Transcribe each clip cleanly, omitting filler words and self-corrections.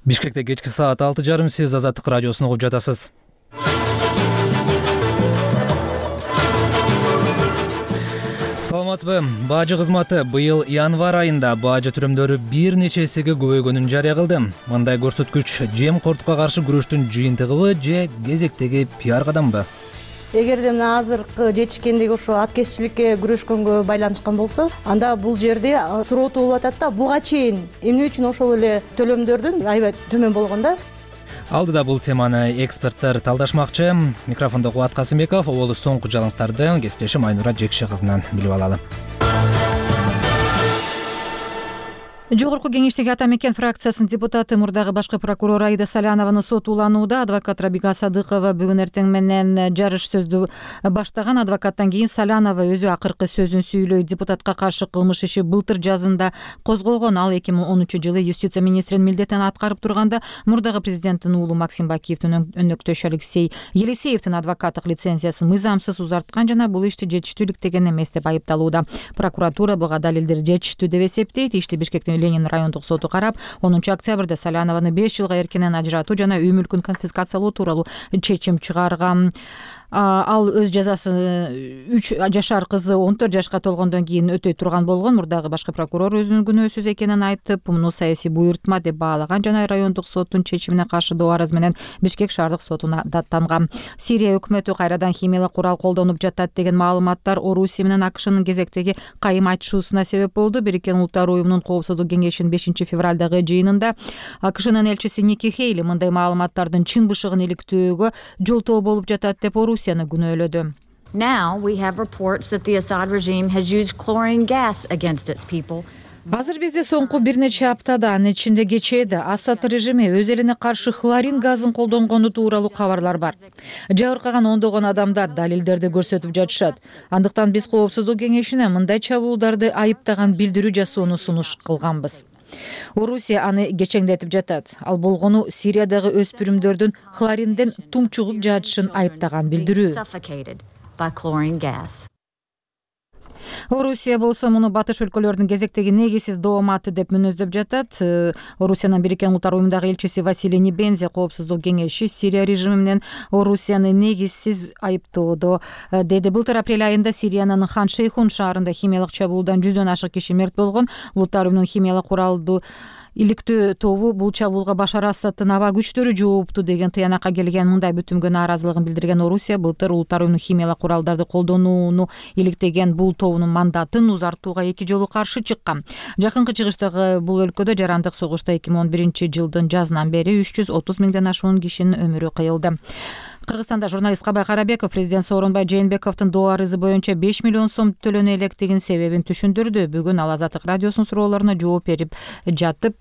Бишкекте кечки саат 6:30 сиз Азаттык радиосун угуп жатасыз. Саламатсызбы? Бажы кызматы быйыл январь айында бажы түрөмдөрү бир нече эсеге көбөйгөнүн жарыя кылды. Мындай көрсөткүч жемкордукка каршы күрөштүн жыйынтыгыбы же кезектеги пиар кадамбы? Эгерде мына азыркы жетишкендиги ошо аткезчиликке күрөшкөнгө байланышкан болсо, анда бул жерде суроо болуп атат да, буга чейин эмне үчүн ошол эле төлөмдөрдүн аябай төмөн болгон да? Алдыда бул теманы эксперттер талдашмакчы. Микрофондо Кубат Касымбеков, оболу соңку жаңылыктарды кесиптешим Айнура Жекше кызынан билип алалы. Жогорку кеңештеги Ата Мекен фракциясынын депутаты, мурдагы башкы прокурор Аида Салянованы сот уланууда. Адвокат Рабига Садыкова бүгүн эртең менен жарыш сөздү баштаган. Адвокаттан кийин Салянова өзү акыркы сөзүн сүйлөйт. Депутатка каршы кылмыш иши былтыр жазында козголгон. Ал 2013-жылы юстиция министринин милдетин аткарып турганда мурдагы президенттин уулу Максим Бакиевдин өнөктөшү Алексей Елисеевдин адвокаттык лицензиясын мыйзамсыз узарткан жана бул ишти жетиштүү иликтеген эмес деп айыпталууда. Прокуратура буга далилдер жетиштүү деп эсептейт. Ишти Бишкектин Ленин райондук соту карап, 10 октябрда Салянованы 5 жылга эркинен ажыратуу жана үй мүлкүн конфискациялоо тууралуу чечим чыгарган. Ал өз жазасын 3 жашар кызы 14 жашка толгондон кийин өтөй турган болгон. Мурдагы башкы прокурор өзүнүн күнөөсүз экенин айтып, муну саясий буйртма деп баалаган жана райондук соттун чечимине каршы доо арыз менен Бишкек шаардык сотуна даттанган. Сирия өкмөтү кайрадан химиялык курал колдонуп жатат деген маалыматтар Орусия менен АКШнын кезектеги кайым айтышуусуна себеп болду. Бириккен Улуттар уюмунун коопсуздук кеңешинин 5-февралдагы жыйынында АКШнын элчиси Ники Хейли мындай маалыматтардын чын бышыгын иликтөөгө жолтоо болуп жатат деп Орусияны күнөөлөдү. Now we have reports that the Assad regime has used chlorine gas against its people. Азыр бизде соңку бир нече аптада, анын ичинде кечээде Асад режими өз элине каршы хлорин газын колдонгону тууралуу кабарлар бар. Жабыркаган ондогон адамдар далилдерди көрсөтүп жатышат. Андыктан биз коопсуздук кеңешине мындай чабуулдарды айыптаган билдирүү жасоону сунуш кылганбыз. Орусия аны кечеңдетип жатат. Ал болгону Сириядагы өспүрүмдөрдүн хлоринден тумчугуп жатышын айыптаган билдирүү. Орусия болсо муну батыш өлкөлөрдүн кезектеги негизсиз дооматы деп мүнөздөп жатат. Орусиянын Бириккен Улуттар уюмундагы элчиси Василий Небензи коопсуздук кеңеши Сирия режими менен Орусияны негизсиз айыптоодо деди. Былтыр апрель айында Сириянын Хан Шейхун шаарында химиялык чабуулдан 100дөн ашык киши мерт болгон. Улуттар уюмунун химиялык куралды иликтөө тобу бул чабуулга Башар Асадтын аба күчтөрү жоопту деген тыянакка келген. Мындай бүтүмгө нааразылыгын билдирген Орусия былтыр Улуттар уюмунун химиялык куралдарды колдонууну иликтеген бул тобунун мандатын узартууга 2 жолу каршы чыккан. Жакынкы чыгыштагы бул өлкөдө жарандык согушта 2011-жылдын жазынан бери 330 миңден ашуун кишинин өмүрү кыйылды. Кыргызстанда журналист Кабай Карабеков президент Сооронбай Жээнбековдун доо арызы боюнча 5 миллион сом төлөнө электигин себебин түшүндүрдү. Бүгүн ал Азаттык радиосунун суроолоруна жооп берип жатып,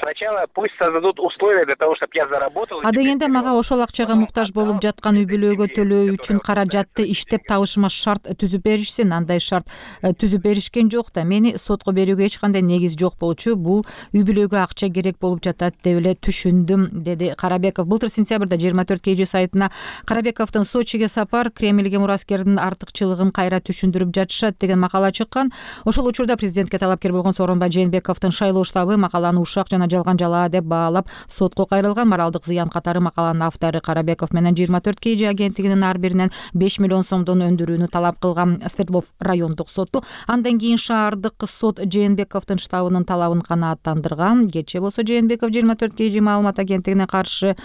сначала пусть создадут условия для того, чтобы я заработал. Адегенде мага ошол акчага муктаж болуп жаткан үй бүлөгө төлөө үчүн каражатты иштеп табышыма шарт түзүп беришсин. Андай шарт түзүп беришкен жок да. Мени сотко берүүгө эч кандай негиз жок болчу. Бул үй бүлөгө акча керек болуп жатат деп эле түшүндүм, деди Карабеков. Былтыр сентябрда 24 KG сайтына Карабековдун Сочиге сапар Кремльге мураскердин артыкчылыгын кайра түшүндүрүп жатышат деген макала чыккан. Ошол учурда президентке талапкер болгон Сооронбай Жээнбековдун шайлоо штабы макаланы ушак жана жалган жалаа деп баалап сотко кайрылган. Моралдык зыян катары макаланын автору Карабеков менен 24 KG агенттигинин ар биринен 5 миллион сомдон өндүрүүнү талап кылган. Свердлов райондук соту андан кийин шаардык сот Жээнбековдун штабынын талабын канааттандырган. Кечээ болсо Жээнбеков 24 KG маалымат агенттигине каршы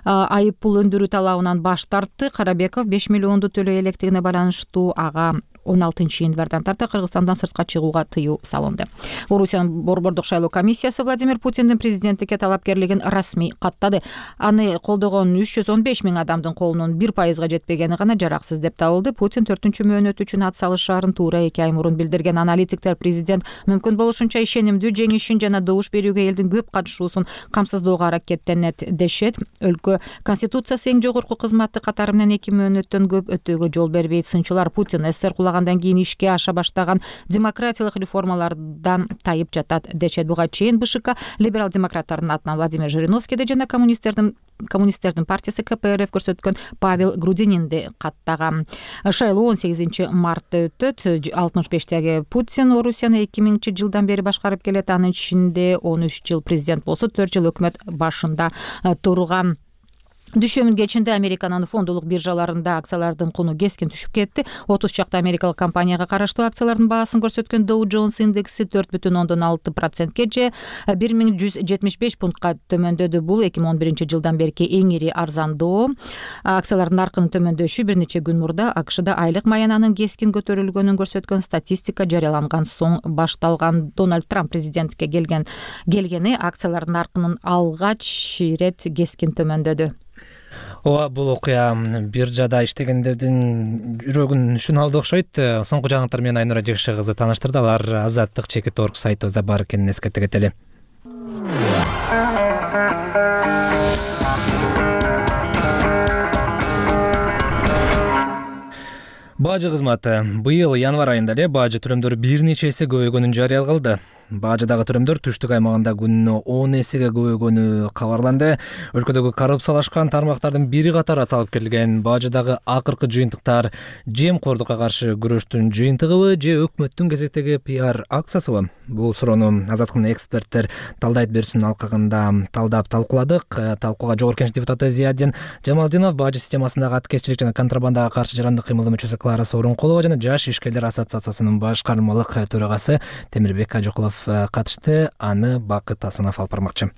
айып пул өндүрүү талабынан баш тартты. Карабеков 5 миллионду төлөй электигине байланыштуу ага 16-январдан тарта Кыргызстандан сыртка чыгууга тыюу салынды. Орусиянын борбордук шайлоо комиссиясы Владимир Путиндин президенттикке талапкерлигин расмий каттады. Аны колдогон 315 миң адамдын колунун 1% жетпегени гана жараксыз деп табылды. Путин 4-чү мөөнөт үчүн ат салышаарын туура 2 ай мурун билдирген. Аналитиктер президент мүмкүн болушунча ишенимдүү жеңишин жана добуш берүүгө элдин көп катышуусун камсыздоого аракеттенет дешет. Өлкө конституциясы эң жогорку кызматты катары менен 2 мөөнөттөн көп өтүүгө жол бербейт. Сынчылар Путин СССР кулагандан кийин ишке аша баштаган демократиялык реформалардан тайып жатат дешет. Буга чейин БШК либерал демократтардын атынан Владимир Жириновскийди жана коммунисттердин коммунисттердин партиясы КПРФ көрсөткөн Павел Грудининди каттаган. Шайлоо 18-мартта өтөт. 65-теги Путин Орусияны 2000-жылдан бери башкарып келет. Анын ичинде 13 жыл президент болсо, 4 жыл өкмөт башында турган. Дүйшөмбү кечинде Американын фондулук биржаларында акциялардын куну кескин түшүп кетти. 30 чакта америкалык компанияга караштуу акциялардын баасын көрсөткөн Dow Jones индекси 4,6%-ке же 1175 пунктка төмөндөдү. Бул 2011 жылдан берки эң ири арзандоо. Акциялардын наркынын төмөндөшү бир нече күн мурда АКШда айлык маянанын кескин көтөрүлгөнүн көрсөткөн статистика жарыяланган соң башталган. Дональд Трамп президентке келгени акциялардын наркынын алгач ирет кескин төмөндөдү. Ооба, бул окуя биржада иштегендердин жүрөгүн шуна алды окшойт. Соңку жаңылыктар менен Айнура Жекше кызы тааныштырды. Алар Азаттык.org сайтыбызда бар экенин эскерте кетели. Бажы кызматы быйыл январь айында эле бажы төлөмдөрү бир нече эсе көбөйгөнүн жарыя кылды. Бажыдагы төлөмдөр түштүк аймагында күнүнө 10 эсеге көбөйгөнү кабарланды. Өлкөдөгү коррупциялашкан тармактардын бири катары аталып келген бажыдагы акыркы жыйынтыктар жемкордукка каршы күрөштүн жыйынтыгыбы же өкмөттүн кезектеги пиар акциясыбы? Бул суроону Азаттыктын эксперттер Талдайт Берсүн алкагында талдап талкууладык. Талкууга Жогорку Кеңеш депутаты Зиядин Жамалдинов, бажы системасындагы аткезчилик жана контрабандага каршы жарандык кыймылдын мүчөсү Клара Сооронкулова жана Жаш ишкерлер ассоциациясынын башкармалык төрагасы Темирбек Кажыкулов катышты. Аны Бакыт Асанов алып бармакчы.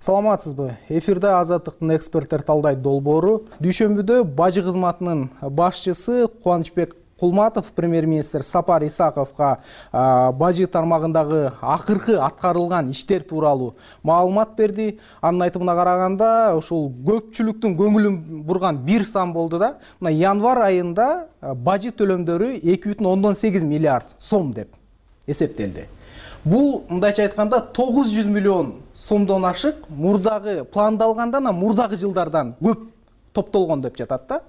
Саламатсызбы? Эфирде Азаттыктын эксперттер Талдайт долбоору. Дүйшөмбүдө бажы кызматынын башчысы Кубанычбек Кулматов премьер-министр Сапар Исаковго бажы тармагындагы акыркы аткарылган иштер тууралуу маалымат берди. Анын айтымына караганда, ушул көпчүлүктүн көңүлүн бурган бир сан болду да. Мына январь айында бажы төлөмдөрү 2,8 миллиард сом деп эсептелди. Бул мындайча айтканда 900 миллион сомдон ашык мурдагы пландалгандан, мурдагы жылдардан көп топтолгон деп жатат да.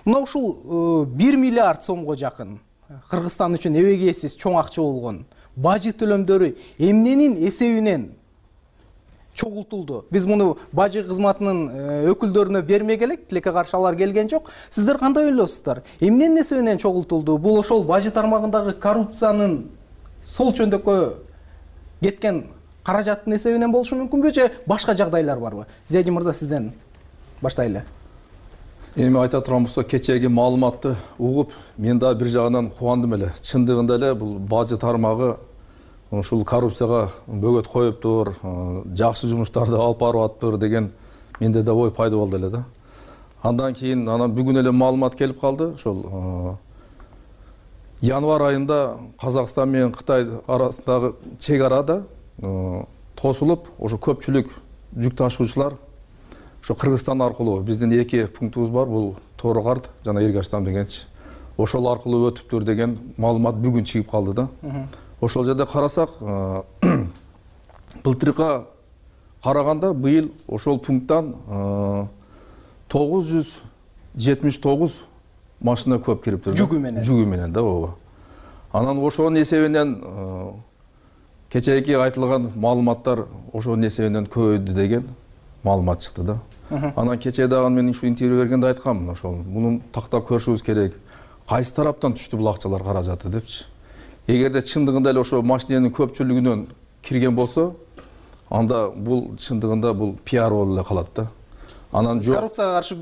Мына ушул 1 миллиард сомго жакын Кыргызстан үчүн эбегейсиз чоң акча болгон бажы төлөмдөрү эмненин эсебинен чогултулду? Биз муну бажы кызматынын өкүлдөрүнө бермек элек, тилекке каршы алар келген жок. Сиздер кандай ойлойсуздар? Эмненин эсебинен чогултулду? Бул ошол бажы тармагындагы коррупциянын сол чөндөккө кеткен каражаттын эсебинен болушу мүмкүнбү же башка жагдайлар барбы? Зиядин мырза, сизден баштайлы. Эми айта турган болсо, кечеги маалыматты угуп, мен да бир жагынан кубандым эле. Чындыгында эле бул бажы тармагы ушул коррупцияга бөгөт коюптур, жакшы жумуштарды алып барып атыптыр деген менде да ой пайда болду эле да. Андан кийин бүгүн эле маалымат келип калды. Ошол январь айында Казакстан менен Кытай арасындагы чек арада тосулуп, ошо көпчүлүк жүк ташуучулар ошо Кыргызстан аркылуу, биздин 2 пунктубуз бар, бул Тоорокарт жана Эргаштан дегенчи. Ошол аркылуу өтүптүр деген маалымат бүгүн чыгып калды да. Ошол жерде карасак, былтыркы караганда быйыл ошол пункттан 979 машина көп кириптир. Жүгү менен да, ооба. Анан ошонун эсебинен кечээки айтылган маалыматтар ошонун эсебинен көбөйдү деген маалымат чыкты да. Анан кечээ дагы мен ушу интервью бергенде айткам, ошол мунун тактап көрүшүбүз керек. Кайсы тараптан түштү бул акчалар, каражаты депчи. Эгерде чындыгында эле ошо машиненин көпчүлүгүнөн кирген болсо, анда бул чындыгында бул пиар болуп эле калат да. Анан коррупцияга каршы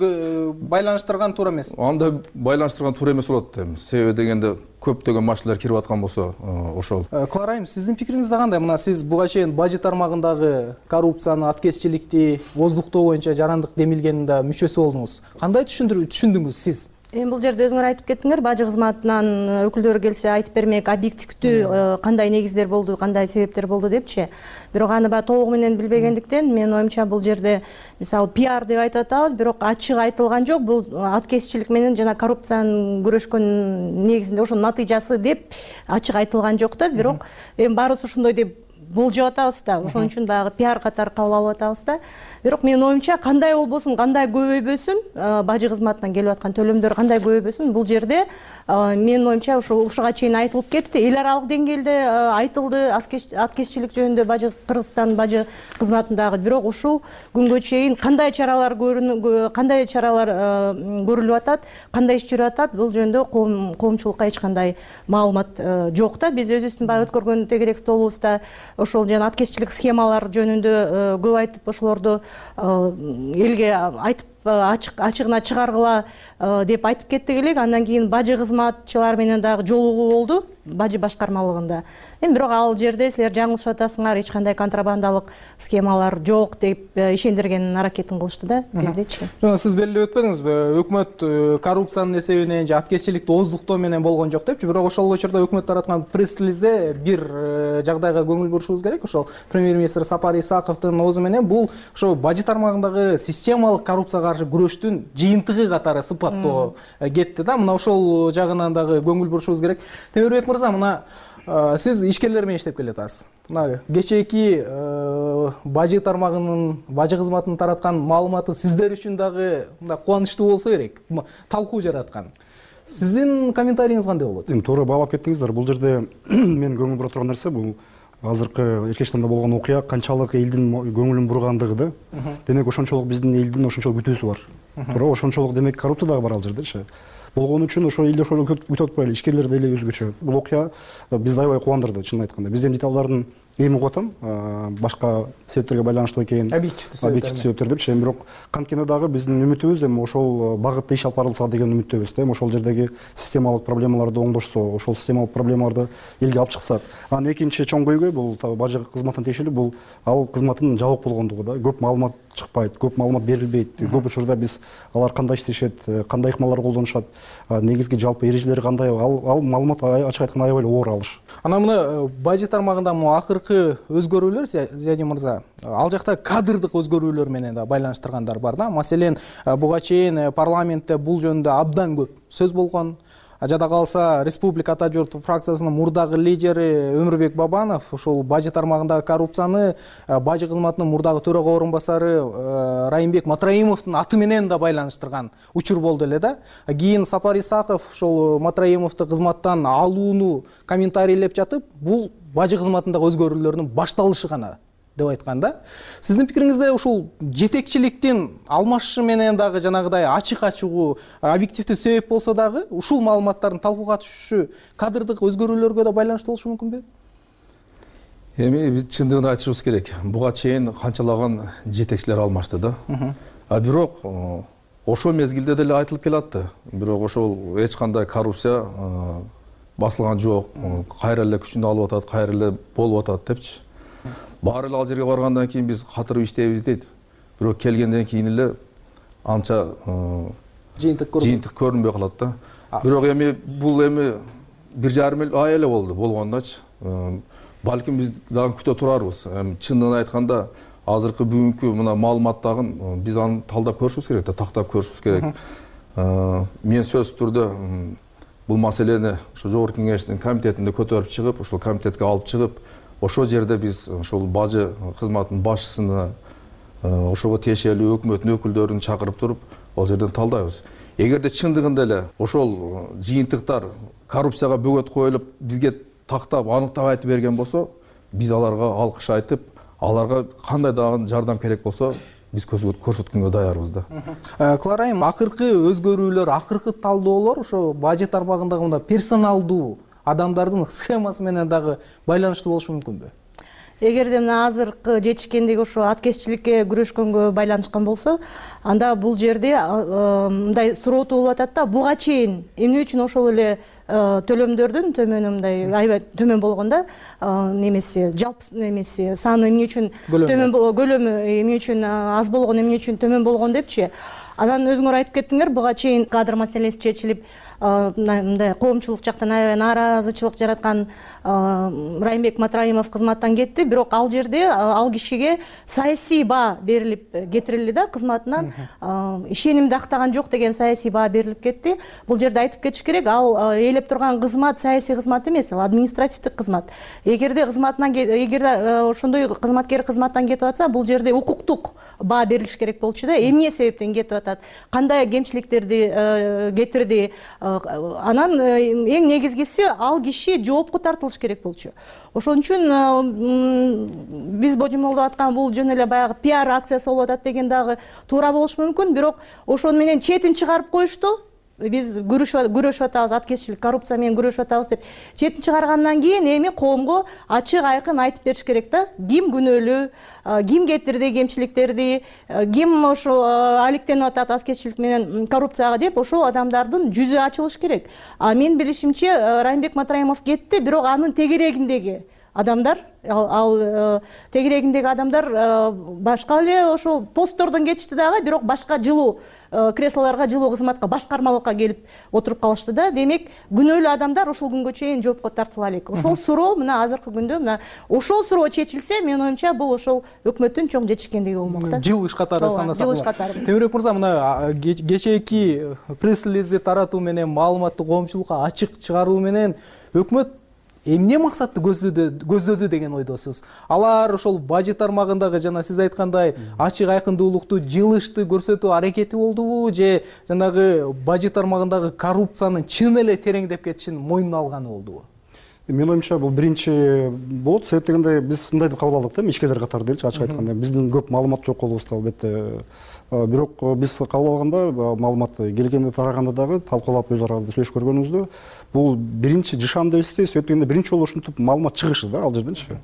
байланыштырган туура эмес. Анда байланыштырган туура эмес болот дейм. Себеби дегенде көптөгөн машиналар кирип аткан болсо, ошол. Клара айым, сиздин пикириңиз да кандай? Мына сиз буга чейин бажы тармагындагы коррупцияны, аткезчиликти боздуктоо боюнча жарандык демилгенин мүчөсү болдуңуз. Кандай түшүндүңүз сиз? Эми бул жерде өзүңөр айтып кеттиңер, бажы кызматынан өкүлдөрү келсе айтып бермек, объективдүү кандай негиздер болду, кандай себептер болду депчи. Бирок аны баягы толугу менен билбегендиктен, менин оюмча бул жерде мисалы пиар деп айтып атабыз, бирок ачык айтылган жок. Бул аткезчилик менен жана коррупцияны күрөшкөн негизинде ошонун натыйжасы деп ачык айтылган жок да. Бирок эми баарыбыз ошондой деп болжоп атабыз да, ошон үчүн баягы пиар катары кабыл алып атабыз да. Бирок менин оюмча кандай болбосун, кандай көбөйбөсүн, бажы кызматынан келип аткан төлөмдөр кандай көбөйбөсүн, бул жерде менин оюмча ушуга чейин айтылып кетти. Эл аралык деңгээлде айтылды аткезчилик жөнүндө Кыргызстан бажы кызматындагы, бирок ушул күнгө чейин кандай чаралар көрүлүп атат, кандай иш жүрүп атат, бул жөнүндө коомчулукка эч кандай маалымат жок да. Биз өзүбүздүн баягы өткөргөн тегерек столубузда ошол жана аткезчилик схемалар жөнүндө көп айтып, ошолорду элге айтып ачыгына чыгаргыла деп айтып кеттик элек. Андан кийин бажы кызматчылар менен дагы жолугуу болду бажы башкармалыгында. Бирок ал жерде силер жаңылышып атасыңар, эч кандай контрабандалык схемалар жок деп ишендирген аракетин кылышты да биздечи. Жана сиз белгилеп өтпөдүңүзбү, өкмөт коррупциянын эсебинен же аткезчиликти ооздуктоо менен болгон жок депчи. Бирок ошол учурда өкмөт тараткан пресс-релизде бир жагдайга көңүл бурушубуз керек. Ошол премьер-министр Сапар Исаковдун оозу менен бул ошо бажы тармагындагы системалык коррупцияга каршы күрөштүн жыйынтыгы катары сыпаттоо кетти да. Мына ошол жагынан дагы көңүл бурушубуз керек. Темирбек мырза, мына сиз ишкерлер менен иштеп келатасыз. Мына кечээки бажы тармагынын, бажы кызматынын тараткан маалыматы сиздер үчүн дагы мындай кубанычтуу болсо керек, талкуу жараткан. Сиздин комментарийиңиз кандай болот? Эми туура баалап кеттиңиздер. Бул жерде мен көңүл бура турган нерсе бул азыркы Эркечтанда болгон окуя канчалык элдин көңүлүн бургандыгы да. Демек ошончолук биздин элдин ошончолук күтүүсү бар. Туура, ошончолук демек коррупция дагы бар ал жердечи. Болгон үчүн ошо элди ошол күтүп атпайлы, ишкерлер деле өзгөчө. Бул окуя бизди аябай кубандырды, чынын айтканда. Биз эми деталдарын эми угуп атам, башка себептерге байланыштуу экен, объективдүү себептер депчи. Бирок канткенде дагы биздин үмүтүбүз эми ошол багытта иш алып барылса деген үмүттөбүз да. Ошол жердеги системалык проблемаларды оңдошсо, ошол системалык проблемаларды элге алып чыксак. Анан экинчи чоң көйгөй бул бажы кызматына тиешелүү, бул ал кызматтын жабык болгондугу да. Көп маалымат чыкпайт, көп маалымат берилбейт. Көп учурда биз алар кандай иштешет, кандай ыкмалар колдонушат, негизги жалпы эрежелери кандай, ал маалымат ачык айтканда аябай эле оор алыш. Анан мына бажы тармагында акыркы өзгөрүүлөр, Зиядин мырза, ал жакта кадрдык өзгөрүүлөр менен да байланыштыргандар бар да. Маселен, буга чейин парламентте бул жөнүндө абдан көп сөз болгон. Жада калса Республика Ата журт фракциясынын мурдагы лидери Өмүрбек Бабанов ушул бажы тармагындагы коррупцияны бажы кызматынын мурдагы төрага орунбасары Райымбек Матраимовдун аты менен да байланыштырган учур болду эле да. Кийин Сапар Исаков ушул Матраимовду кызматтан алууну комментарийлеп жатып, бул бажы кызматындагы өзгөрүүлөрдүн башталышы гана деп айткан да. Сиздин пикириңизде ушул жетекчиликтин алмашышы менен дагы жанагыдай ачык-ачыгуу объективдүү себеп болсо дагы ушул маалыматтардын талкууга түшүшү кадрдык өзгөрүүлөргө да байланыштуу болушу мүмкүнбү? Эми биз чындыгын айтышыбыз керек. Буга чейин канчалаган жетекчилер алмашты да. Бирок ошол мезгилде деле айтылып келатты. Бирок ошол эч кандай коррупция басылган жок. Кайра эле күчүн алып атат, кайра эле болуп атат депчи. Баары эле ал жерге баргандан кийин биз катырып иштейбиз дейт. Бирок келгенден кийин эле анча жыйынтык көрүнбөй калат да. Бирок эми бул эми 1,5 ай эле болду болгондачы. Балким биз дагы күтө турарбыз. Чындыгын айтканда азыркы бүгүнкү мына маалыматтагын биз аны талдап көрүшүбүз керек да, тактап көрүшүбүз керек. Мен сөзсүз түрдө бул маселени ошо жогорку кеңештин комитетинде көтөрүп чыгып, ошол комитетке алып чыгып, ошол жерде биз ошол бажы кызматынын башчысына, ошого тиешелүү өкмөттүн өкүлдөрүн чакырып туруп, ал жерден талдайбыз. Эгерде чындыгында эле ошол жыйынтыктар коррупцияга бөгөт коюлуп, бизге тактап, аныктап айтып берген болсо, биз аларга алкыш айтып, аларга кандай дагы жардам керек болсо, биз көрсөткөнгө даярбыз да. Кларайым, акыркы өзгөрүүлөр, акыркы талдоолор ошо бажы тармагындагы мында персоналдуу адамдардын схемасы менен дагы байланыштуу болушу мүмкүнбү? Эгерде мына азыркы жетишкендиги ошо аткезчиликке күрөшкөнгө байланышкан болсо, анда бул жерде мындай суроотуу болуп атат да, буга чейин эмне үчүн ошол эле төлөмдөрдүн төмөнү мындай аябай төмөн болгон да, немеси жалпы немеси саны эмне үчүн төмөн, көлөмү эмне үчүн аз болгон, эмне үчүн төмөн болгон депчи. Анан өзүңөр айтып кеттиңер, буга чейин кадр маселеси чечилип, мындай коомчулук жактан аябай нааразычылык жараткан Райымбек Матраимов кызматтан кетти, бирок ал жерде ал кишиге саясий баа берилип кетирилди да, кызматынан ишенимди актаган жок деген саясий баа берилип кетти. Бул жерде айтып кетиш керек, ал ээлеп турган кызмат саясий кызмат эмес, ал административдик кызмат. Эгерде ошондой кызматкер кызматтан кетип атса, бул жерде укуктук баа берилиш керек болчу да. Эмне себептен кетип атат, кандай кемчиликтерди кетирди, анан эң негизгиси ал киши жоопко тартылыш керек болчу. Ошон үчүн биз божомолдоп аткан бул жөн эле баягы пиар акциясы болуп атат деген дагы туура болушу мүмкүн, бирок ошону менен четин чыгарып коюшту. Биз күрөшүп атабыз, аткезчилик, коррупция менен күрөшүп атабыз деп четин чыгаргандан кийин эми коомго ачык айкын айтып бериш керек да. Ким күнөөлүү, ким кетирди кемчиликтерди, ким ошо алектенип атат аткезчилик менен коррупцияга деп ошол адамдардын жүзү ачылыш керек. Менин билишимче Райымбек Матраимов кетти, бирок анын тегерегиндеги адамдар, ал тегерегиндеги адамдар башка эле ошол посттордон кетишти дагы, бирок башка жылуу креслолорго, жылуу кызматка, башкармалыкка келип отуруп калышты да. Демек, күнөөлүү адамдар ушул күнгө чейин жоопко тартыла элек. Ошол суроо мына азыркы күндө мына ошол суроо чечилсе, менин оюмча бул ошол өкмөттүн чоң жетишкендиги болмок да. Жыл иш катары санасак. Жыл иш катары. Темирбек мырза, мына кечээки пресс-релизди таратуу менен, маалыматты коомчулукка ачык чыгаруу менен өкмөт эмне максатты көздөдү деген ойдосуз? Алар ошол бажы тармагындагы жана сиз айткандай ачык айкындуулукту, жылышты көрсөтүү аракети болдубу, же жанагы бажы тармагындагы коррупциянын чын эле тереңдеп кетишин мойнуна алганы болдубу? Менин оюмча бул биринчи болот. Себеп дегенде биз мындай деп кабыл алдык да, ишкерлер катары делчи, ачык айтканда. Биздин көп маалымат жок колубузда албетте. Бирок биз кабыл алганда, маалымат келгенде тараганда дагы талкуулап өз арабызда сүйлөшүп көргөнүбүздө, бул биринчи жышан деп эсептейбиз. Себеп дегенде биринчи жолу ушинтип маалымат чыгышы да ал жерденчи.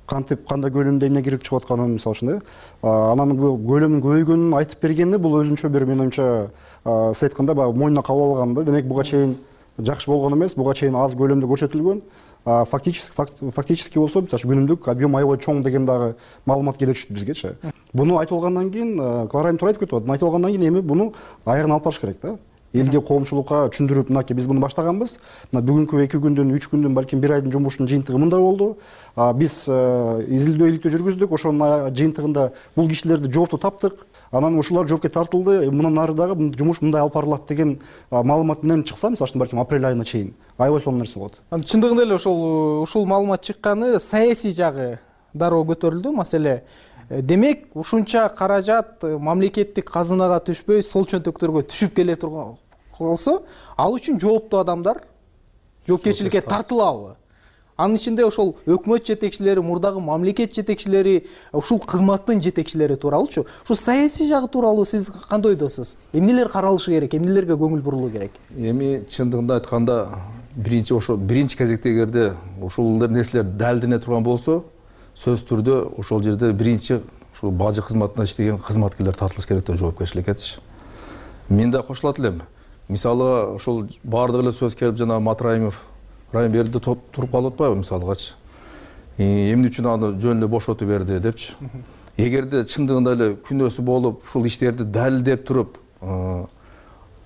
Кантип, кандай көлөмдө эмне кирип чыгып атканын, мисалы үчүн, анан бул көлөмүн көбөйгөнүн айтып бергенде, бул өзүнчө бир менин оюмча сиз айткандай баягы мойнуна кабыл алган да. Демек, буга чейин жакшы болгон эмес, буга чейин аз көлөмдө көрсөтүлгөн. Фактически болсо, мисалы үчүн күнүмдүк объем аябай чоң деген дагы маалымат келе түштү бизгечи. Буну айтып алгандан кийин, Кларайым туура айтып кетип атат. Айтып алгандан кийин эми буну аягына алып барыш керек да. Элге, коомчулукка түшүндүрүп, мынакей биз буну баштаганбыз. Мына бүгүнкү 2 күндүн, 3 күндүн, балким 1 айдын жумушунун жыйынтыгы мындай болду. Биз изилдөө жүргүздүк. Ошонун жыйынтыгында бул кишилерди жоопту таптык. Анан ушулар жоопко тартылды. Мындан ары дагы жумуш мындай алып барылат деген маалымат менен чыкса, мисалы үчүн балким апрель айына чейин аябай сонун нерсе болот. Чындыгында эле ушул маалымат чыкканы саясий жагы дароо көтөрүлдү маселе. Демек, ушунча каражат мамлекеттик казынага түшпөй, сол чөнтөктөргө түшүп келе турган болсо, ал үчүн жооптуу адамдар жоопкерчиликке тартылабы? Анын ичинде ошол өкмөт жетекчилери, мурдагы мамлекет жетекчилери, ушул кызматтын жетекчилери тууралуучу. Ушул саясий жагы тууралуу сиз кандай ойдосуз? Эмнелер каралышы керек, эмнелерге көңүл бурулуу керек? Эми чындыгында айтканда, биринчи кезекте эгерде ушул нерселер далилдене турган болсо, сөз түрдө ошол жерде биринчи ушул бажы кызматында иштеген кызматкерлер тартылыш керек деп жоопкерчиликкечи. Мен да кошулат элем. Мисалы, ошол баардык эле сөз келип, жана Матраимов Райым берди туруп калып атпайбы мисалгачы. Эмне үчүн аны жөн эле бошотуп берди депчи. Эгерде чындыгында эле күнөөсү болуп, ушул иштерди далилдеп туруп,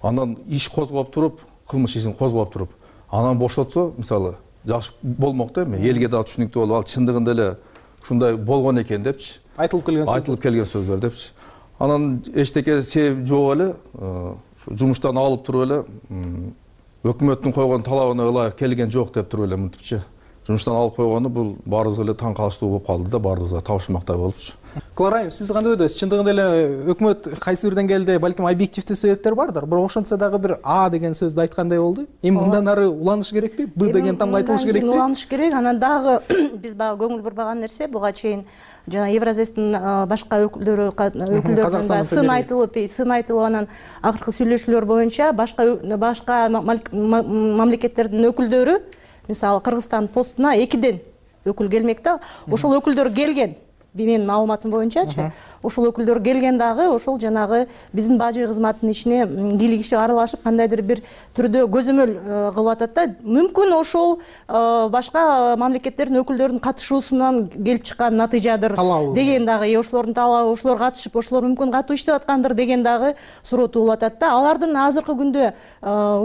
анан иш козгоп туруп, кылмыш ишин козгоп туруп, анан бошотсо, мисалы, жакшы болмок да эми, элге дагы түшүнүктүү болуп, ал чындыгында эле ушундай болгон экен депчи. Айтылып келген сөздөр депчи. Анан эчтеке себеп жок эле, жумуштан алып туруп эле, өкмөттүн койгон талабына ылайык келген жок деп туруп эле мынтипчи. Жумуштан алып койгону бул баарыбызга эле таң калыштуу болуп калды да, баарыбызга табышмактай болупчу. Кларайым, сиз кандай ойдосуз? Чындыгында эле өкмөт кайсы бир деңгээлде балким объективдүү себептер бардыр, бирок ошентсе дагы бир А деген сөздү айткандай болду. Эми мындан ары уланыш керекпи? Б деген тамга айтылыш керекпи? Уланыш керек. Анан дагы биз баягы көңүл бурбаган нерсе, буга чейин жана Евразэстин башка өкүлдөрүнүн сын айтылып, анан акыркы сүйлөшүүлөр боюнча башка мамлекеттердин өкүлдөрү, мисалы Кыргызстан постуна 2ден өкүл келмек да. Ошол өкүлдөр келген. менин маалыматым боюнчачы ошол өкүлдөр келген дагы ошол жанагы биздин бажы кызматынын ишине кийлигишип аралашып кандайдыр бир түрдө көзөмөл кылып атат да. Мүмкүн ошол башка мамлекеттердин өкүлдөрүнүн катышуусунан келип чыккан натыйжадыр деген дагы, ошолордун талабы, ошолор катышып, ошолор мүмкүн катуу иштеп аткандыр деген дагы суроо туулуп атат да. Алардын азыркы күндө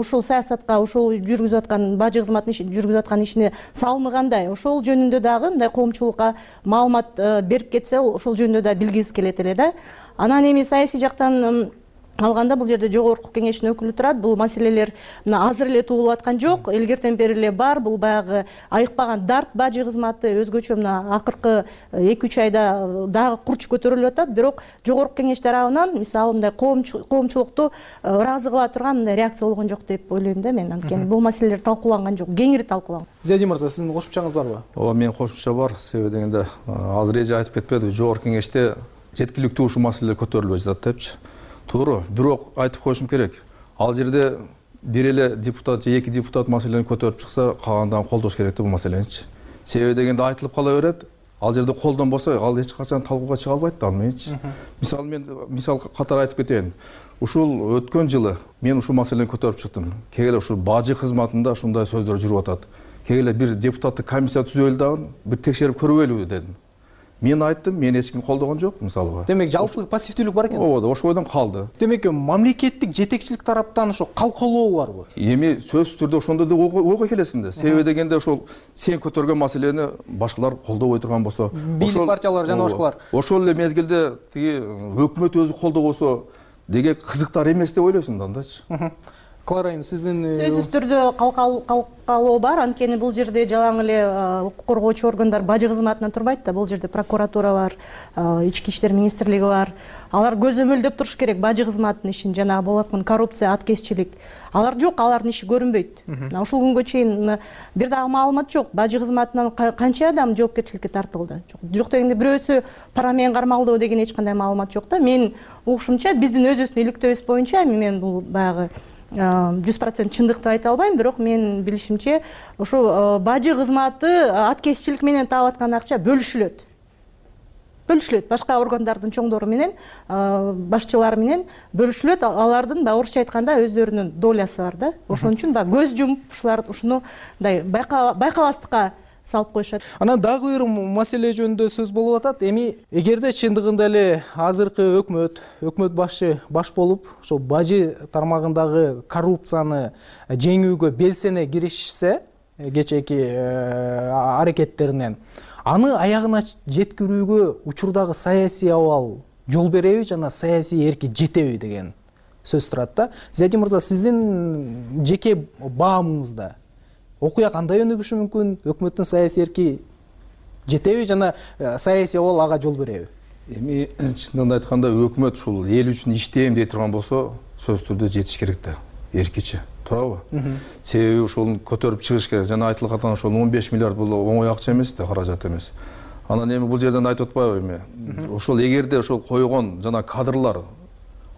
ушул саясатка, ушул жүргүзүп аткан бажы кызматынын жүргүзүп аткан ишине салымы кандай, ошол жөнүндө дагы мындай коомчулукка маалымат берип кетсе, ошол жөнүндө да билгибиз келет эле да. Анан эми саясий жактан алганда бул жерде жогорку кеңештин өкүлү турат. Бул маселелер мына азыр эле туулуп аткан жок, илгертен бери эле бар. Бул баягы айыкпаган дарт бажы кызматы өзгөчө мына акыркы 2-3 айда дагы курч көтөрүлүп атат. Бирок жогорку кеңеш тарабынан мисалы мындай коомчулукту ыраазы кыла турган мындай реакция болгон жок деп ойлойм да мен. Анткени бул маселелер талкууланган жок, кеңири талкууланган. Зиядин мырза, сиздин кошумчаңыз барбы? Ооба, менин кошумча бар. Себеби дегенде азыр эже айтып кетпеди, жогорку кеңеште жеткиликтүү ушул маселелер көтөрүлбөй жатат депчи. Туура, бирок айтып коюшум керек. Ал жерде бир эле депутат же 2 депутат маселени көтөрүп чыкса, калгандарын колдош керек да бул маселеничи. Себеби дегенде айтылып кала берет. Ал жерде колдонбосо, ал эч качан талкууга чыга албайт да анычы. Мисалы мен катары айтып кетейин. Ушул өткөн жылы мен ушул маселени көтөрүп чыктым. Кегеле ушул бажы кызматында ушундай сөздөр жүрүп атат. Кегеле бир депутаттык комиссия түзөлү дагы, бир текшерип көрбөйлүбү дедим. Мен айттым, мен эч ким колдогон жок, мисалга. Демек, жалпы пассивдүүлүк бар экен. Ооба, ошол ойдон калды. Демек, мамлекеттик жетекчилик тараптан ошо калкалоо барбы? Эми сөзсүз түрдө ошондой да ойго келесиң да. Себеби дегенде ошол сен көтөргөн маселени башкалар колдобой турган болсо, бийлик партиялар жана башкалар. Ошол эле мезгилде тиги өкмөт өзү колдобосо, деге кызыктар эмес деп ойлойсуң да андачы. Клара айым, сиздин сөзсүз түрдө калкалоо бар. Анткени бул жерде жалаң эле укук коргоочу органдар бажы кызматынан турбайт да. Бул жерде прокуратура бар, ички иштер министрлиги бар. Алар көзөмөлдөп туруш керек бажы кызматынын ишин, жанагы болуп аткан коррупция, аткезчилик. Алар жок, алардын иши көрүнбөйт. Ушул күнгө чейин бир дагы маалымат жок. Бажы кызматынан канча адам жоопкерчиликке тартылды? Жок дегенде бирөөсү пара менен кармалдыбы деген эч кандай маалымат жок да. Мен угушумча биздин өзүбүздүн иликтөөбүз боюнча мен бул баягы 100% чындыкты айта албайм, бирок мен билишимче ошо бажы кызматы аткезчилик менен таап аткан акча бөлүшүлөт. Башка органдардын чоңдору менен, башчылары менен бөлүшүлөт. Алардын орусча айтканда өздөрүнүн долясы бар да. Ошон үчүн көз жумуп ушулар ушуну мындай байкабастыкка салып коюшат. Анан дагы бир маселе жөнүндө сөз болуп атат. Эми эгерде чындыгында эле азыркы өкмөт баш болуп, ошол бажы тармагындагы коррупцияны жеңүүгө белсене киришсе, кечээки аракеттеринен, аны аягына жеткирүүгө учурдагы саясий абал жол береби жана саясий эрки жетеби деген сөз турат да. Зиядин мырза, сиздин жеке баамыңызда окуя кандай өнүгүшү мүмкүн? Өкмөттүн саясий эрки жетеби жана саясий абал ага жол береби? Эми чындыгын айтканда өкмөт ушул эл үчүн иштейм дей турган болсо, сөзсүз түрдө жетиш керек да, эркичи. Туурабы? Себеби ушул көтөрүп чыгыш керек. Жана айтылып аткан ошол 15 миллиард бул оңой акча эмес да, каражат эмес. Анан эми бул жерден айтып атпайбы эми? Ошол эгерде ошол койгон жана кадрлар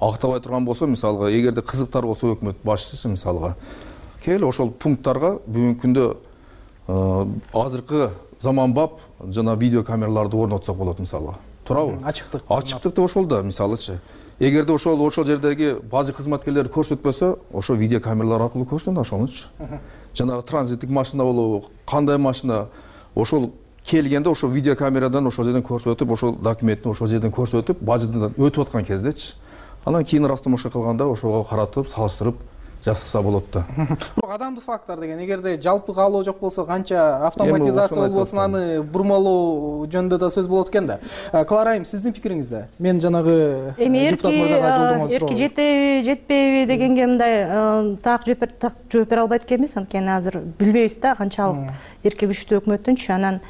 актабай турган болсо, мисалга, эгерде кызыктар болсо өкмөт башчысы мисалга, келе ошол пункттарга бүгүнкү күндө азыркы заманбап жана видео камераларды орнотсок болот мисалга. Туурабы? Ачыктыкты ошол да, мисалычы. Эгерде ошол жердеги бажы кызматкерлер көрсөтпөсө, ошо видео камералар аркылуу көрсүн да ошонучу. Жанагы транзиттик машина болобу, кандай машина, ошол келгенде ошол видео камерадан ошол жерден көрсөтүп, ошол документти ошол жерден көрсөтүп, бажыдан өтүп аткан кездечи. Анан кийин растамашка кылганда ошого каратып, салыштырып жасаса болот да. Бирок адамдык фактор деген, эгерде жалпы каалоо жок болсо, канча автоматизация болбосун, аны бурмалоо жөнүндө да сөз болот экен да. Клара айым, сиздин пикириңизде? Мен жанагы депутат мырзага жолдогон суроо. Эрки жетеби, жетпейби дегенге мындай так жооп бере албайт экенбиз, анткени азыр билбейбиз да канчалык эрки күчтүү өкмөттүнчү. Анан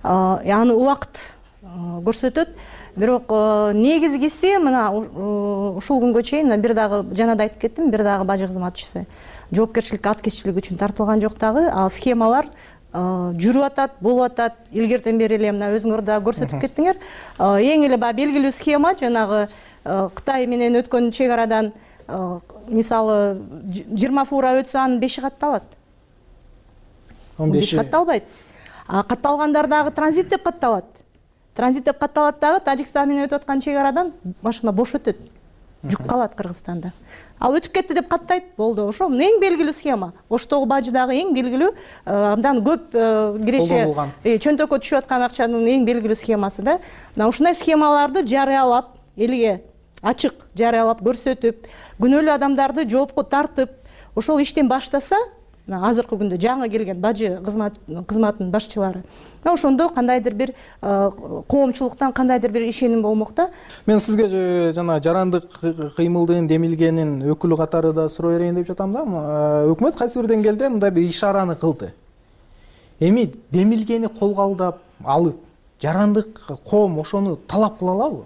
аны убакыт көрсөтөт. Бирок негизгиси мына ушул күнгө чейин бир дагы жана да айтып кеттим, бир дагы бажы кызматчысы жоопкерчиликке, аткезчилик үчүн тартылган жок дагы. Ал схемалар жүрүп атат, болуп атат. Илгертен бери эле мына өзүңөр да көрсөтүп кеттиңер. Эң эле белгилүү схема жанагы Кытай менен өткөн чек арадан мисалы 20 фура өтсө анын 5 катталат. 15 катталбайт. Катталгандар дагы транзит деп катталат. транзит деп катталат дагы Тажикстан менен өтүп аткан чек арадан машина бош өтөт, жүк калат Кыргызстанда. Ал өтүп кетти деп каттайт, болду. Ошо эң белгилүү схема. Оштогу бажы дагы эң белгилүү, абдан көп киреше чөнтөккө түшүп аткан акчанын эң белгилүү схемасы да. Мына ушундай схемаларды жарыялап, элге ачык жарыялап көрсөтүп, күнөөлүү адамдарды жоопко тартып, ошол иштен баштаса, азыркы күндө жаңы келген бажы кызматынын башчылары, ошондо кандайдыр бир коомчулуктан кандайдыр бир ишеним болмок да. Мен сизге жана жарандык кыймылдын демилгенин өкүлү катары да суроо берейин деп жатам да. Өкмөт кайсы бир деңгээлде мындай бир ишараны кылды. Эми демилгени колго алып, жарандык коом ошону талап кыла алабы?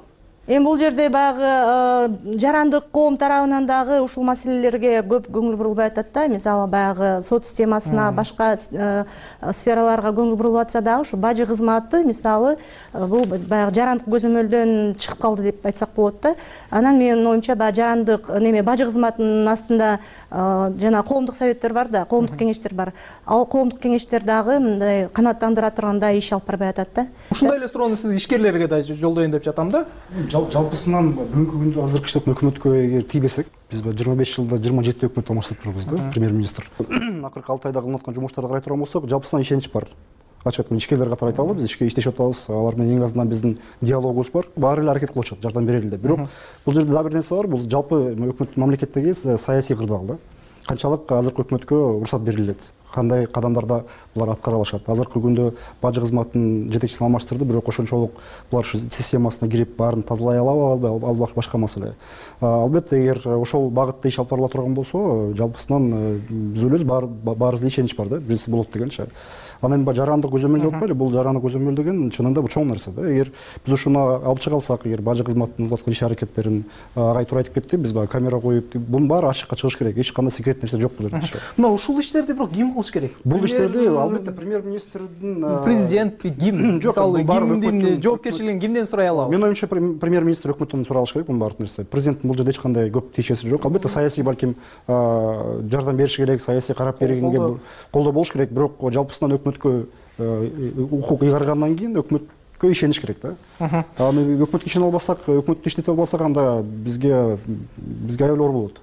Эми бул жерде баягы жарандык коом тарабынан дагы ушул маселелерге көп көңүл бурулбай атат да. Мисалы баягы сот системасына, башка сфераларга көңүл бурулуп атса дагы ушу бажы кызматы мисалы бул баягы жарандык көзөмөлдөн чыгып калды деп айтсак болот да. Анан менин оюмча баягы жарандык бажы кызматынын астында жана коомдук советтер бар да, коомдук кеңештер бар. Ал коомдук кеңештер дагы мындай канааттандыра тургандай иш алып барбай атат да. Ушундай эле суроону сиз ишкерлерге да жолдоюн деп жатам да. Жалпысынан бүгүнкү күндө азыркы өкмөткө эгер тийбесек, биз 25 жылда 27 өкмөт алмаштырып турбуз да, премьер-министр. Акыркы 6 айда кылынып аткан жумуштарды карай турган болсок, жалпысынан ишенич бар. Ачык айтканда ишкерлер катары айта алабыз, ишке иштешип атабыз, алар менен эң азынан биздин диалогубуз бар. Баары эле аракет кылып атышат, жардам берели деп. Бирок бул жерде дагы бир нерсе бар, бул жалпы өкмөт мамлекеттеги саясий кырдаал да. Канчалык азыркы өкмөткө уруксат берилет, кандай кадамдарда булар аткара алышат. Азыркы күндө бажы кызматынын жетекчисин алмаштырды, бирок ошончолук булар системасына кирип баарын тазалай алабы, ал башка маселе. Албетте, эгер ошол багытта иш алып барыла турган болсо, жалпысынан биз ойлойбуз баарыбызда ишенич бар да, биринчиси болот дегенчи. Анан жарандык көзөмөл деп атпайлы, бул жарандык көзөмөл деген чынында бул чоң нерсе да. Эгер биз ушуну алып чыга алсак, эгер бажы кызматынын кылып аткан иш аракеттерин агай туура айтып кетти, биз баягы камера коюп, бунун баары ачыкка чыгыш керек. Эч кандай секрет нерсе жок бул жерде. Мына ушул иштерди бирок ким кылыш керек? Бул иштерди албетте премьер-министрдин, президент, ким? Мисалы, кимдин жоопкерчилигин кимден сурай алабыз? Менин оюмча премьер-министр өкмөттөн сурай алыш керек бунун баардык нерсе. Президенттин бул жерде эч кандай көп тиешеси жок. Албетте саясий балким жардам бериш керек, саясий карап бергенге колдоо болуш керек, бирок жалпысынан өкмөткө укук ыйгаргандан кийин өкмөткө ишениш керек да. Аны өкмөткө ишене албасак, өкмөттү иштете албасак, анда бизге аябай оор болот.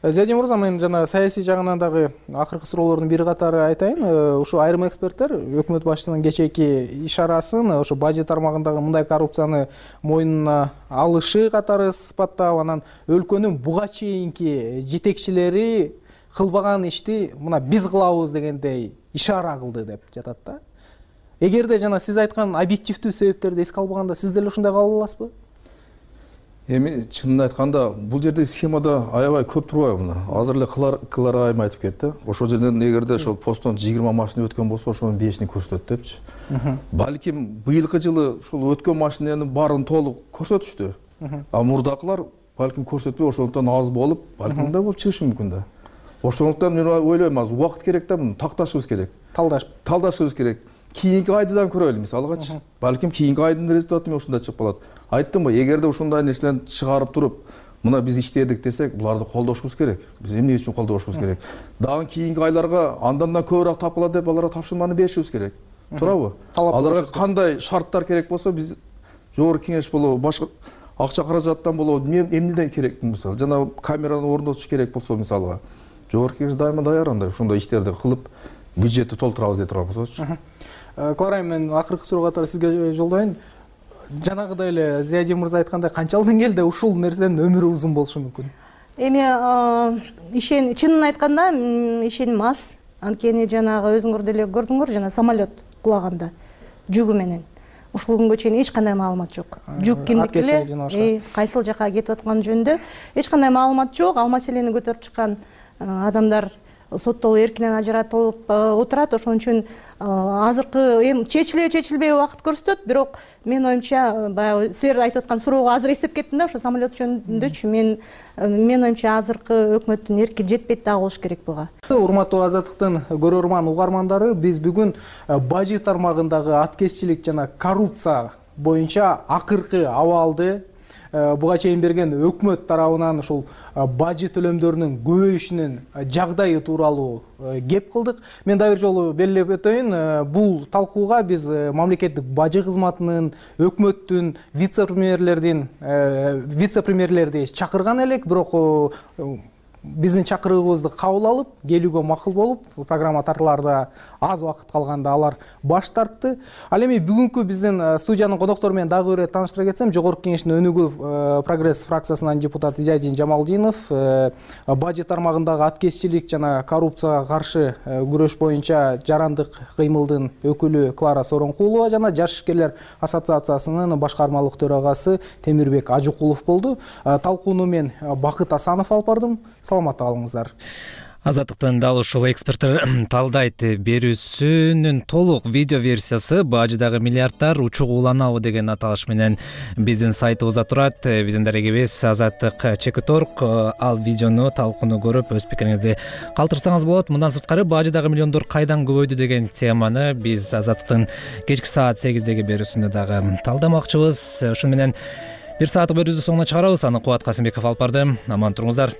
Зиядин мырза, мен жана саясий жагынан дагы акыркы суроолордун бири катары айтайын. Ушу айрым эксперттер өкмөт башчысынын кечээки ишарасын ошо бажы тармагындагы мындай коррупцияны мойнуна алышы катары сыпаттап, анан өлкөнүн буга чейинки жетекчилери кылбаган ишти мына биз кылабыз дегендей ишара кылды деп жатат да. Эгерде жана сиз айткан объективдүү себептерди эске албаганда, сиз деле ушундай кабыл аласызбы? Эми чынын айтканда бул жерде схемада аябай көп турбайбы мына. Азыр эле кылар айым айтып кетти. Ошол жерден эгерде ошол посттон 20 машина өткөн болсо, ошонун 5-ин көрсөтөт депчи. Балким быйылкы жылы ушул өткөн машинанын баарын толук көрсөтүштү. А мурдакылар балким көрсөтпөй ошондон аз болуп, балким мындай болуп чыгышы мүмкүн да. Ошондуктан мен ойлойм, азыр убакыт керек да, муну такташыбыз керек. Талдашыбыз керек. Кийинки айдыдан көрөлү, мисалгачы. Балким кийинки айдын результаты ушундай чыгып калат. Айттым го, эгерде ушундай нерселерди чыгарып туруп, мына биз иштедик десек, буларды колдошубуз керек. Биз эмне үчүн колдошубуз керек? Дагы кийинки айларга андан көбүрөөк тапкыла деп аларга тапшырманы беришибиз керек. Туурабы? Аларга кандай шарттар керек болсо, биз жогорку кеңеш болобу, башка акча каражаттан болобу, эмнеден керек мисалы, жана камераны орнотуш керек болсо мисалга. Жогорку кеңеш дайыма даяр андай ушундай иштерди кылып, бюджетти толтурабыз деп турган болсочу. Клара, мен акыркы суроо катары сизге жолдоюн. Жанагыдай эле Зиядин мырза айткандай, канчалык деңгээлде ушул нерсенин өмүрү узун болушу мүмкүн? Эми чынын айтканда ишеним аз. Анткени жанагы өзүңөр деле көрдүңөр, жана самолет кулаганда жүгү менен. Ушул күнгө чейин эч кандай маалымат жок. Жүк кимдики эле, кайсыл жака кетип атканы жөнүндө эч кандай маалымат жок. Ал маселени көтөрүп чыккан адамдар соттолуп эркинен ажыратылып отурат. Ошон үчүн азыркы эми чечилбей убакыт көрсөтөт, бирок мен оюмча баягы силер айтып аткан суроого азыр эстеп кеттим да, ошо самолет жөнүндөчү. Мен оюмча азыркы өкмөттүн эрки жетпейт дагы болуш керек буга. Урматтуу Азаттыктын көрөрман угармандары, биз бүгүн бажы тармагындагы аткезчилик жана коррупция боюнча акыркы абалды буга чейин берген өкмөт тарабынан ушул бажы төлөмдөрүнүн көбөйүшүнүн жагдайы тууралуу кеп кылдык. Мен дагы бир жолу белгилеп өтөйүн, бул талкууга биз мамлекеттик бажы кызматынын, өкмөттүн, вице-премьерлерди чакырган элек, бирок биздин чакырыгыбызды кабыл алып, келүүгө макул болуп, программа тартылаарда аз убакыт калганда алар баш тартты. Ал эми бүгүнкү биздин студиянын коноктору менен дагы бир тааныштыра кетсем, Жогорку Кеңештин өнүгүү прогресс фракциясынын депутаты Изайдин Жамалдинов, бажы тармагындагы аткезчилик жана коррупцияга каршы күрөш боюнча жарандык кыймылдын өкүлү Клара Соронкулова жана Жаш ишкерлер ассоциациясынын башкармалык төрагасы Темирбек Ажукулов болду. Талкууну мен Бакыт Асанов алып бардым. Саламатта калыңыздар. Азаттыктын дал ушул эксперттер талдайт берүүсүнүн толук видео версиясы бажыдагы миллиардтар учук уланабы деген аталыш менен биздин сайтыбызда турат. Биздин дарегибиз Азаттык /Org. Ал видеону, талкууну көрүп өз пикириңизди калтырсаңыз болот. Мындан сырткары бажыдагы миллиондор кайдан көбөйдү деген теманы биз Азаттыктын кечки саат 8деги берүүсүндө дагы талдамакчыбыз. Ошону менен бир сааттык берүүбүздү соңуна чыгарабыз. Аны Кубат Касымбеков алып барды. Аман туруңуздар.